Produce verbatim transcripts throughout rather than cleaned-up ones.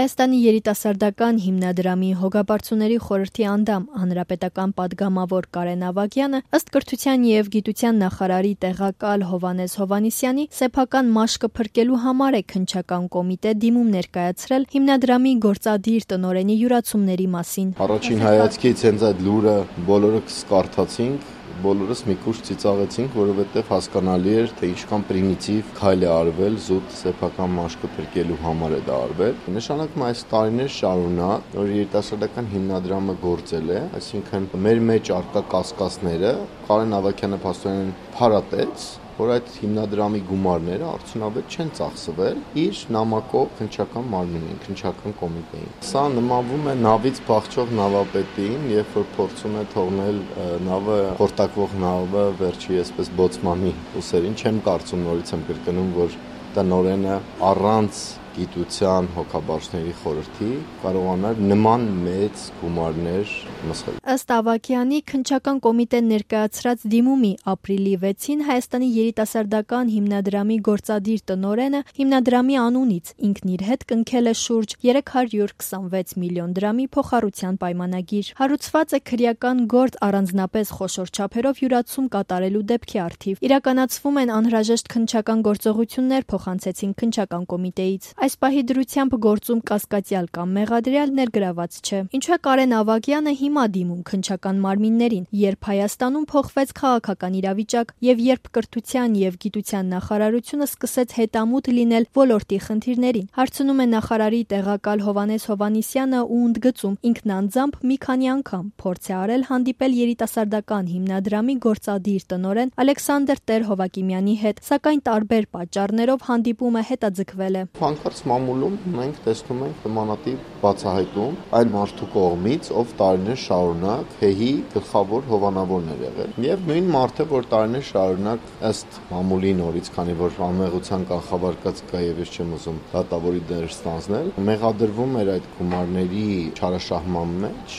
Հայաստանի երիտասարդական հիմնադրամի հոգաբարձուների խորհրդի անդամ հանրապետական պատգամավոր Կարեն Ավագյանը ըստ կրթության և գիտության նախարարի տեղակալ Հովհաննես Հովհաննիսյանի սեփական մաշկը փրկելու համար է քննչական կոմիտե դիմում ներկայացրել հիմնադրամի գործադիր տնօրենի յուրացումների մասին։ Առաջին հայացքից հենց այդ լուրը բոլորս կարդացինք, բոլորս մի քիչ ծիծաղեցինք, որովհետև հասկանալի էր, թե ինչքան պրիմիտիվ քայլ է արվել զուտ սեփական մաշկը փրկելու համար է դա արվել։ Նշանակում է այս տարիներ շարունակ, որ երիտասարդական հիմնադրամը գործել է, այսինքն մեր մեջ արկա կասկածները Կարեն Ավագյանը փաստորեն փարատեց, որ այդ հիմնադրամի գումարները արդյունավետ չեն ծախսվել իր նամակով քննչական մարմնին, քննչական կոմիտեին։ Սա նմանվում է նավից փախչող նավապետին, երբ որ փորձում է թողնել նավը, խորտակվող նավը վերջի այսպես բոցմանի ուսերին, չեմ կարծում, նորից եմ կրկնում, որ տնօրենը առանց գիտության հոգաբարձուների խորհրդի կարողանար նման մեծ գումարներ մսխել։ Ըստ Ավագյանի, քննչական կոմիտեն ներկայացրած դիմումի ապրիլի վեցին Հայաստանի երիտասարդական հիմնադրամի գործադիր տնօրենը հիմնադրամի անունից ինքն իր հետ կնքել է շուրջ երեք հարյուր քսանվեց միլիոն դրամի փոխառության պայմանագիր։ Հարուցված է քրեական գործ առանձնապես խոշոր չափերով յուրացում կատարելու դեպքի առթիվ։ Իրականացվում են անհրաժեշտ քննչական գործողություններ, փոխանցեցին քննչական կոմիտեից։ Այս պահի դրությամբ գործում կասկածյալ կամ մեղադրյալ ներգրաված չէ։ Ինչու է Կարեն Ավագյանը հիմա դիմում քննչական մարմիններին, երբ Հայաստանում փոխվեց քաղաքական իրավիճակ եւ երբ կրթության եւ գիտության նախարարությունը սկսեց հետամուտ լինել ոլորտի խնդիրներին։ Հարցնում է նախարարի տեղակալ Հովհաննես Հովհաննիսյանը ու ընդգծում, ինքն անձամբ մի քանի անգամ փորձ է արել հանդիպել երիտասարդական հիմնադրամի գործադիր տնօրեն Ալեքսանդր Տեր-Հովակիմյանի հետ, սակայն տարբեր պատճառներով հանդիպումը հետաձգվել է։ Մամուլում մենք տեսնում ենք նմանատիպ բացահայտում այն մարդու կողմից, ով տարիներ շարունակ ՀԵՀ-ի գլխավոր հովանավորն էր եղել։ Եվ նույն մարդը, որ տարիներ շարունակ ըստ մամուլի նորից, քանի որ անմեղության կանխավարկած կա եւ ես չեմ ուզում դատավորի դեր ստանձնել, մեղադրվում էր այդ գումարների չարաշահման մեջ,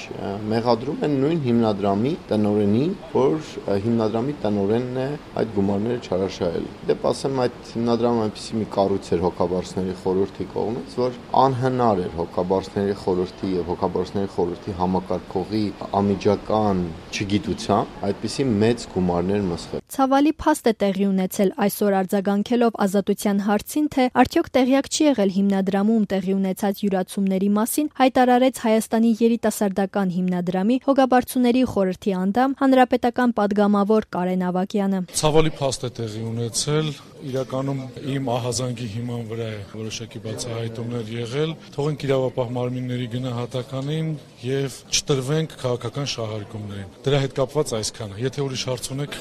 մեղադրում են նույն հիմնադրամի տնօրենին, որ հիմնադրամի տնօրենն է այդ գումարները չարաշահել։ Դեպ ասեմ, այդ հիմնադրամը այնպիսի մի կառույց էր հոգաբարձուների խորհրդի կողմից, որ անհնար էր հոգաբարձուների խորհրդի եւ հոգաբարձուների խորհրդի համակարգողի անմիջական չգիտությամբ այդպիսի մեծ գումարներ մսխել։ Ցավալի փաստ է տեղի ունեցել այսօր արձագանքելով Ազատության հարցին, թե արդյոք տեղյակ չի եղել հիմնադրամում տեղի ունեցած յուրացումների մասին, հայտարարեց Հայաստանի երիտասարդական հիմնադրամի հոգաբարձուների խորհրդի անդամ հանրապետական պատգամավոր Կարեն Ավագյանը։ Ցավալի փաստ է տեղի ունեցել, իրականում իմ ահազանգի հիման վրա է որոշակի բացահայտումներ եղել, թողենք իրավապահ մարմինների գնահատականին եւ չտրվենք քաղաքական շահարկումներին։ Դրա հետ կապված այսքանը։ Եթե ուրիշ հարց ունեք,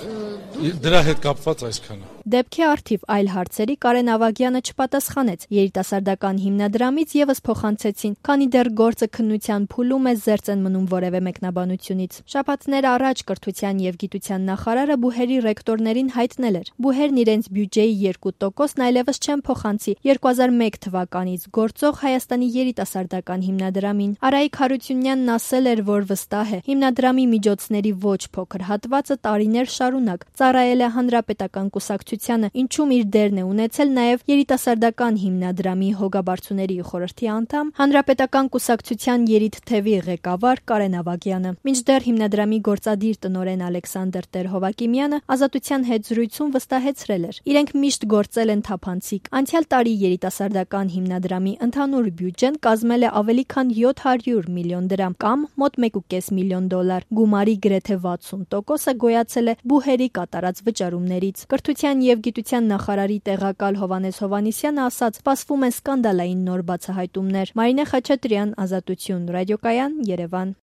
դրա հետ կապված այսքանը։ Դեպքի առթիվ այլ հարցերի Կարեն Ավագյանը չպատասխանեց։ Երիտասարդական հիմնադրամից եւս փոխանցեցին, քանի դեռ գործը քննության փուլում է, զերծ են մնում որևէ մեկնաբանությունից։ Շաբաթներ առաջ կրթության եւ գիտության նախարարը բուհերի ռեկտորներին հայտնել էր. բուհերն իրենց բյուջեի երկու տոկոսն այլևս չեն փոխանցի երկու հազար մեկ թվականից գործող Հայաստանի երիտասարդական հիմնադրամին։ Արայիկ Հարությունյանն ասել էր, որ վստահ է, հիմնադրամի միջոցների ոչ փոքր հատվածը տարիներ շարունակ ծառայել է հանրապետական կուսակցությանը, ինչում իր դերն է ունեցել նաև երիտասարդական հիմնադրամի հոգաբարձուների խորհրդի անդամ, հանրապետական կուսակցության երիտթևի ղեկավար Կարեն Ավագյանը։ Մինչդեռ հիմնադրամի գործադիր տնօրեն Ալեքսանդր Տեր-Հովակիմյանը Ազատության հետ զրույցում վստահեցրել էր. իրենք միշտ գործել են թափանցիկ։ Անցյալ տարի երիտասարդական հիմնադրամի ընդհանուր բյուջեն կազմել է ավելի քան յոթ հարյուր միլիոն դրամ կամ մոտ մեկ կես միլիոն դոլար։ Գումարի գրեթե վաթսուն տոկոսը գոյացել է բուհերի կատարած վճարումներից։ Կրթության եւ գիտության նախարարի տեղակալ Հովհաննես Հովհաննիսյանը ասաց, սպասվում են սկանդալային նոր բացահայտումներ։ Մարինե Խաչատրյան, Ազատություն, ռադիոկայան, Երևան։